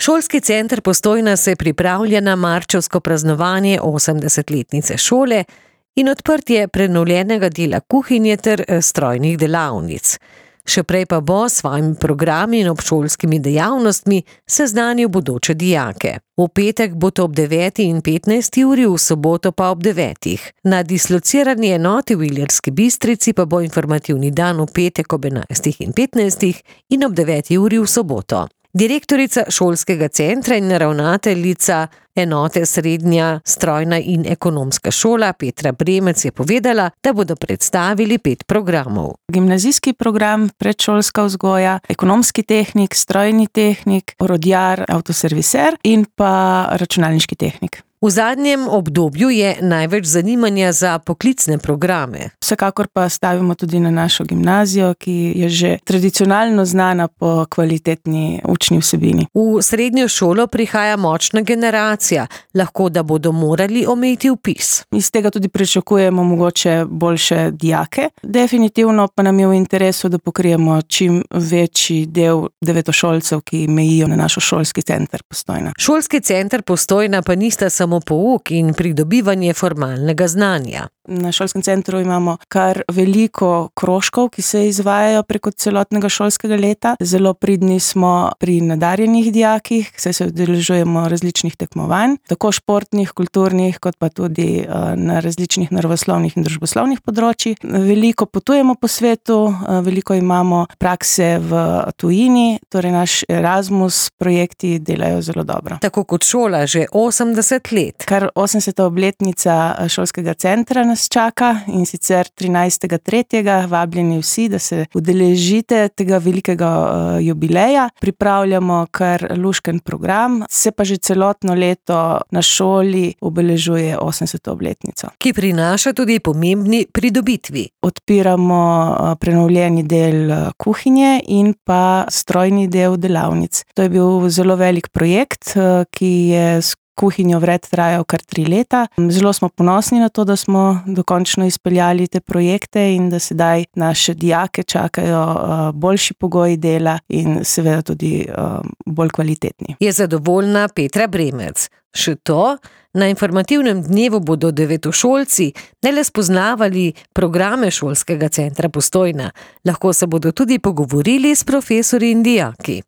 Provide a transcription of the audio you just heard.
Šolski center Postojna se pripravlja na marčevsko praznovanje 80-letnice šole in odprtje prenovljenega dela kuhinje ter strojnih delavnic. Še prej pa bo s svojimi programi in obšolskimi dejavnostmi seznanil bodoče dijake. V petek bo to ob 9. in 15. uri, v soboto pa ob 9. Na dislocirani enoti v Ilirski Bistrici pa bo informativni dan v petek ob 11. in 15. in ob 9. uri v soboto. Direktorica šolskega centra in ravnateljica enote Srednja strojna in ekonomska šola Petra Bremec je povedala, da bodo predstavili 5 programov. Gimnazijski program, predšolska vzgoja, ekonomski tehnik, strojni tehnik, orodjar, avtoserviser in pa računalniški tehnik. V zadnjem obdobju je največ zanimanja za poklicne programe. Vsekakor pa stavimo tudi na našo gimnazijo, ki je že tradicionalno znana po kvalitetni učni vsebini. V srednjo šolo prihaja močna generacija, lahko da bodo morali omejiti vpis. Iz tega tudi pričakujemo mogoče boljše dijake. Definitivno pa nam je v interesu, da pokrijemo čim večji del devetošolcev, ki mejijo na naš šolski center Postojna. Šolski center Postojna pa nista samo pouk in pridobivanje formalnega znanja. Na šolskem centru imamo kar veliko krožkov, ki se izvajajo preko celotnega šolskega leta. Zelo pridni smo pri nadarjenih dijakih, saj se udeležujemo različnih tekmovanj, tako športnih, kulturnih, kot pa tudi na različnih naravoslovnih in družboslovnih področjih. Veliko potujemo po svetu, veliko imamo prakse v tujini, torej naš Erasmus projekti delajo zelo dobro. Tako kot šola že 80 let. Kar 80. obletnica šolskega centra nas čaka in sicer 13.3. Vabljeni vsi, da se udeležite tega velikega jubileja. Pripravljamo kar lušken program, se pa že celotno leto na šoli obeležuje 80. obletnico. Ki prinaša tudi pomembni pridobitvi. Odpiramo prenovljeni del kuhinje in pa strojni del delavnic. To je bil zelo velik projekt, ki je kuhinjo vred trajal kar 3 leta. Zelo smo ponosni na to, da smo dokončno izpeljali te projekte in da sedaj naše dijake čakajo boljši pogoji dela in seveda tudi bolj kvalitetni. Je zadovoljna Petra Bremec. Še to, na informativnem dnevu bodo devetošolci ne le spoznavali programe šolskega centra Postojna, lahko se bodo tudi pogovorili s profesorji in dijaki.